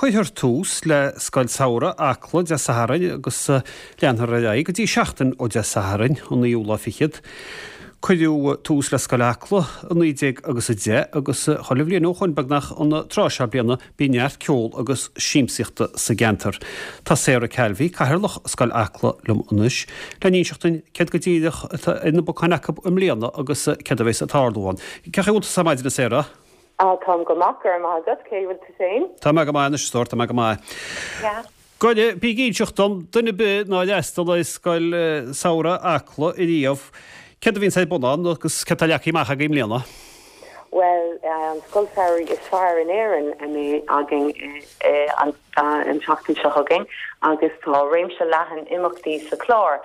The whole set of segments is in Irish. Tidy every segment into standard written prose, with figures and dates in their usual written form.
Cuirfear tús le Scoil Samhraidh Acla Dé Sathairn agus leanfar ar aghaidh go dtí seachtain ó Dé Sathairn, an naoú lá fichead. Cuireadh tús le Scoil Acla i 19 agus 10 agus chuile bhliain ó shoin beagnach an tráth seo bliana bíonn neart ceol agus siamsaíochta sa gceantar. Tá Sarah Calvey, Cathaoirleach Scoil Acla liom anois le n-inseacht duinn céard go díreach atá ar na bacáin acu i mbliana agus céard a bheas ag tarlú ann. Cén chaoi a bhfuil tusa ar maidin a Sarah? Ah, táim go maith, go raibh maith agat. Cé bhfuil tú féin? Tá mé go maith anois, a stór, tá mé go maith. Yeah. Go, bí ag inseacht dom, duine ar bith nár fhreastal ar scoil samhraidh Acla ariamh, céard a bhíonns ar bun ann agus céard atá leagtha amach agaibh i mbliana? Bhuel, an scoil samhraidh is fearr in Éirinn a mbeidh againn an tseachtain seo chugainn agus tá réimse leathan imeachtaí sa chlár.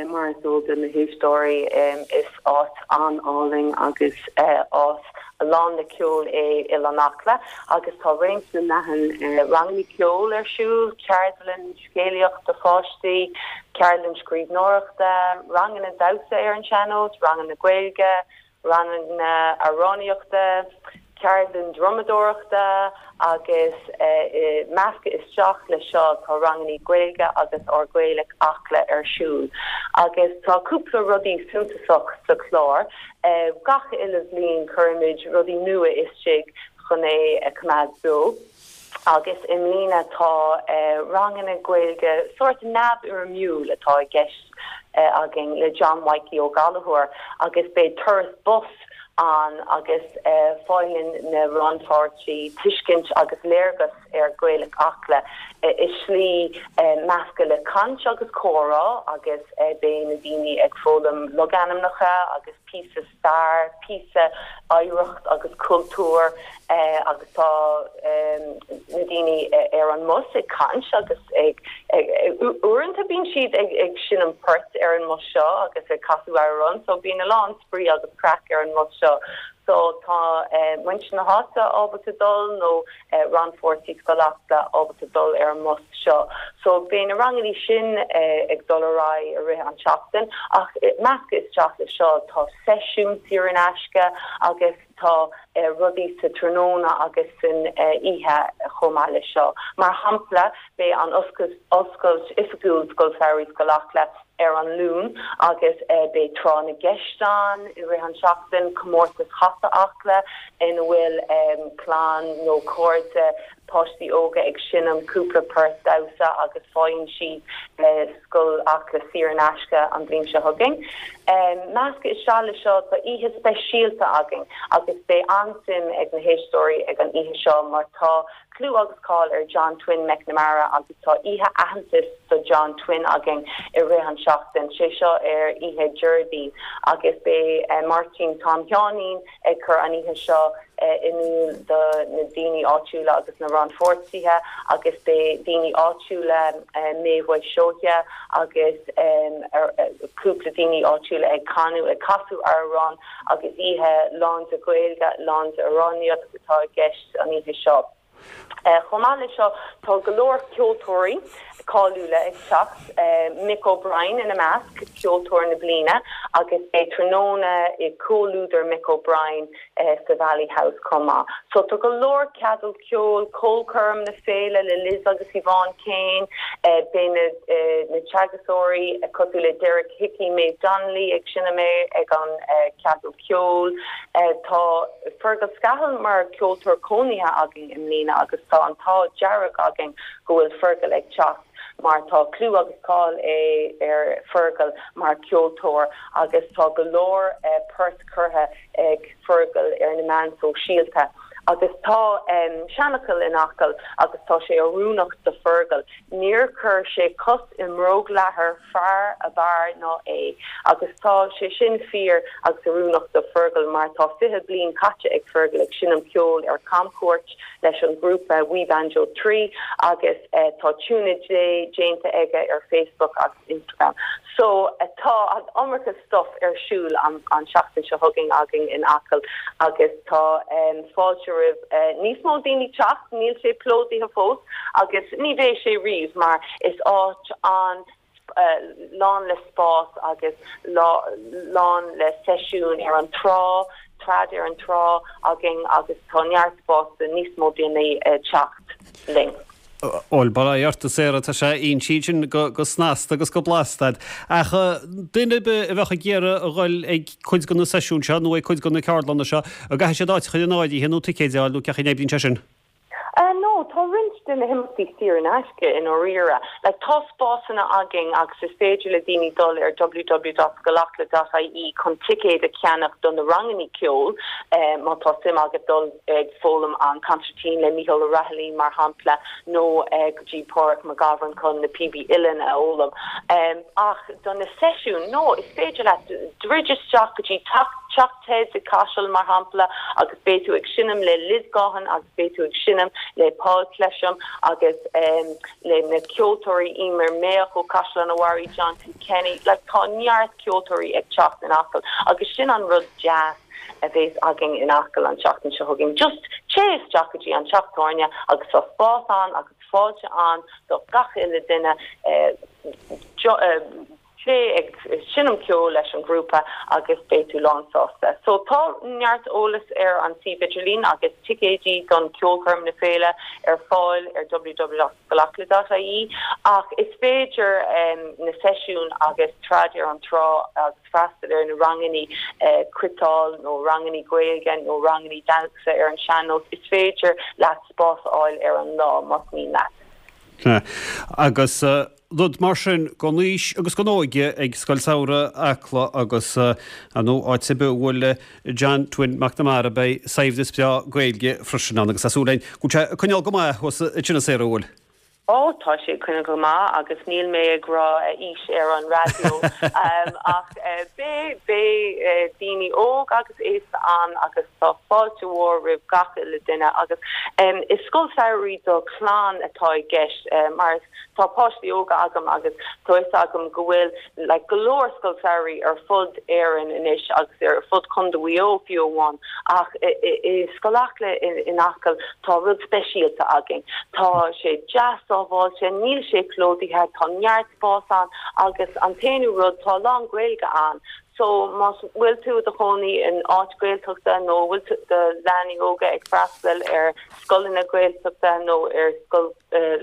Mar is eol do na héisteoirí, is áit an-álainn agus áit lán le ceol é Oileán Acla agus tá réimse leathan ranganna ceoil ar siúl, ceardlann scéalaíocht do pháistí, ceardlann scríbhneoireachta, ranganna damhsa ar an sean-nós, ranganna Gaeilge, ranganna amhránaíochta, ceardlann drumadóireachta agus measctha isteach leis seo tá ranganna Gaeilge agus ár Gaelic Acla ar siúl. Agus tá cúpla rudaí suntasach sa chlár. Gach uile bhliain cuirimid rudaí nua istigh chun é a choimeád beo agus i mbliana tá ranganna Gaeilge sórt neamhfhoirmiúil atá i gceist againn le John Mhaidhcí Ó Gallchóir agus beidh turas bus ann agus faigheann na rannpháirtí tuiscint agus léargas ar Gaelic Acla i slí measctha le caint agus comhrá agus beidh na daoine ag foghlaim logainmneacha agus píosa stair, píosa oidhreacht agus cultúr agus tá na daoine ar an mbus ag caint agus ag uaireanta bíonn siad ag seinm poirt ar an mbus seo agus ag casadh amhrán so bíonn a lán spraoi agus craic ar an mbus seo. So tá muintir na háite ábalta dul nó rannpháirtí Scoil Acla ábalta dul ar an mbus seo. So beidh na rangannaí sin ag dul ar aghaidh i rith an tseachtain ach measctha isteach le seo tá seisiún saor in aisce agus tá rudaí sa tráthnóna agus san oíche chomh maith le seo. Mar shampla beidh an oscailt oifigiúil Scoil Samhraidh Scoil Acla ar an Luan agus beidh tráth na gceist ann i rith an tseachtain, comórtas Chasadh Acla ina bhfuil clann nó cairde páistí óga ag seinm cúpla port damhsa agus faigheann siad Scoil Acla saor in aisce an bhliain seo chugainn. Measctha isteach le seo tá oíche speisialta againn agus beidh an-suim ag na héisteoirí ag an oíche seo mar tá clú agus cáil ar John Twin McNamara agus tá oíche aitheantais do John Twin againn i rith an seachtain, sé seo ar oíche Déardaoin agus beidh Máirtín Tom Sheáinín ag cur an oíche seo in iúl do na daoine áitiúla agus na rannpháirtithe agus beidh daoine áitiúla Méabh Seoighe agus cúpla daoine áitiúla ag canadh, ag casadh amhrán agus oíche lán de Ghaeilge, lán de amhránaíocht atá i gceist. an oíche seo. Chomh maith leis seo, tá go leor ceoltóirí cáiliúla ag teacht, Mick O'Brien ina measc, Ceoltóir na Bliana, agus beidh tráthnóna i gcomhluadar Mick O'Brien sa Valley House chomh maith. So tá go leor ceadal ceoil, ceolchoirm na féile le Liz agus Yvonne Kane, beidh na teagasóirí cosúil le Derek Hickey, Maeve Donnelly ag seinm ag an ceadal ceoil. Tá Fergal Scahill mar ceoltóir cónaithe againn i mbliana agus tá an t-ádh dearg againn go bhfuil Fergal ag teacht mar tá clú agus cáil ar Fergal mar ceoltóir agus tá go leor port curtha ag Fergal ar na meáin sóisialta agus tá seanfhocal in Acaill agus tá sé oiriúnach do Fergal, níor chuir sé cos i mbróg leathair fear ab fhearr ná é. Agus tá sé sin fíor agus oiriúnach do Fergal mar tá 20 bliain caite ag Fergal ag seinm ceoil ar camchuairt leis an ghrúpa We Banjo 3 agus tá Tune a Day déanta aige ar Facebook agus Instagram. So tá an iomarca stuff ar siúl an tseachtain seo chugainn againn in Acaill agus tá fáilte roimh níos mó daoine teacht, níl sé plódaithe fós agus ní bheidh sé riamh mar is áit an lán le spás agus lán le seisiúin ar an trá, trad ar an trá againn agus tá neart spás do níos mó daoine teacht linn. Bhuel, bail ó Dhia ort, a Sarah, tá sé inste ansin go snasta agus go blasta a'd. Ach duine ar bith a bheadh ag iarraidh a dhul ag cuid de na seisiúin seo nó ag cuid de na ceardlanna seo, an gcaithfidh siad áit a chur in áirithe nó ticéid a fháil nó cén chaoi a n-oibríonn sé sin? No, tá roinnt de na himeachtaí saor in aisce i ndáiríre. Like, tá spásanna againn agus is féidir le daoine dul ar www.scoilacla.ie chun ticéid a cheannach do na ranganna ceoil, má tá suim agat dul ag foghlaim an consairtín le Mícheál Ó Raghallaigh, mar shampla, nó go dtí Páraic Mac Gabhann chun na píobaí uilleann a fhoghlaim. Ach do na seisiúin, no, is féidir leat druid isteach go dtí Teach Teds i gCaiseal, mar shampla, agus beidh tú ag seinm le Liz Gaughan agus beidh tú ag seinm le Paul Clesham agus le na ceoltóirí Emer Mayock ó Caisleán an Bharraigh, John Kilkenny, like tá neart ceoltóirí ag teacht in Acaill agus sin an rud deas a bhéas againn in Acaill an tseachtain seo chugainn. Just téigh isteach go dtí an teach tábhairne agus tá spás ann agus fáilte ann do gach uile duine. Téigh ag seinm ceoil leis an ghrúpa agus beidh tú lán sásta. So tá neart eolas ar an suíomh idirlín agus ticéidí don ceolchoirm na féile ar fáil ar www.scoilacla.ie ach is féidir na seisiúin agus trad ar an trá agus freastal ar na rangannaí cniotáil nó rangannaí Gaeilge nó rangannaí damhsa ar an sean-nós, is féidir leat spás a fháil ar an lá más mian leat. Agus rud mar sin don aois agus don óige ag Scoil Samhraidh Acla agus, ar ndóigh, áit ar bith a bhfuil John Twin McNamara beidh saibhreas breá Gaeilge freisin ann agus tá súil againn go bhfuil sé ag coinneáil go maith thuas ansin a Sarah, an bhfuil? Ó, tá sé ag coinneáil go maith agus níl mé ag rá a aois ar an raidió ach beidh, beidh daoine óg agus aosta ann agus tá fáilte mhór roimh gach uile duine agus is scoil samhraidh do chlann atá i gceist mar Tá páistí óga agam agus tá fhios agam go bhfuil like go leor scoil samhraidh ar fud Éireann anois agus ar fud Chontae Mhaigh Eo fiú amháin ach i Scoil Acla in Acaill tá rud speisialta againn. Tá sé deas sábháilte, níl sé plódaithe, tá neart spás ann agus an t-aon rud tá a lán Gaeilge ann so más bhfuil tú i do chónaí in áit Gaeltachta nó bhfuil do leanaí óga ag freastal ar scoileanna Gaeltachta nó ar scoil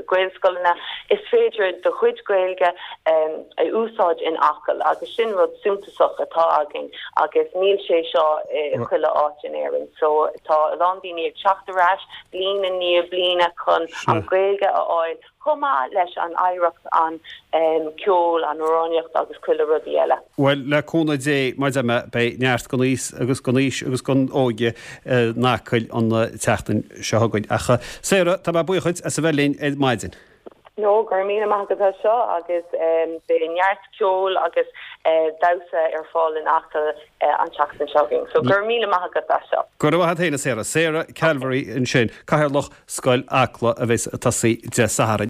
Gaelscoileanna, is féidir do chuid Gaeilge a úsáid in Acaill agus sin rud suntasach atá againn agus níl sé seo i chuile áit in Éirinn. So tá a lán daoine ag teacht ar ais bliain i ndiaidh bliana chun an Ghaeilge a fháil chomh maith leis an oidhreacht, an ceol, an amhránaíocht agus chuile rudaí eile. Bhuel, le cúnamh Dé, mar a deir mé, beidh neart den aos agus den aois agus den óige in Acaill an tseachtain seo chugainn. Ach, Sarah, tá mé buíoch duit as a bheith linn ar maidin. No, go raibh míle maith agat as seo agus beidh neart ceoil agus damhsa ar fáil in Acaill an tseachtain seo chugainn. So, go raibh míle maith agat as seo. Go raibh maith agat féin, a Sarah. Sarah Calverley ansin, Cathaoirleach Scoil Acla a bheas ag tosaí Dé Sathairn.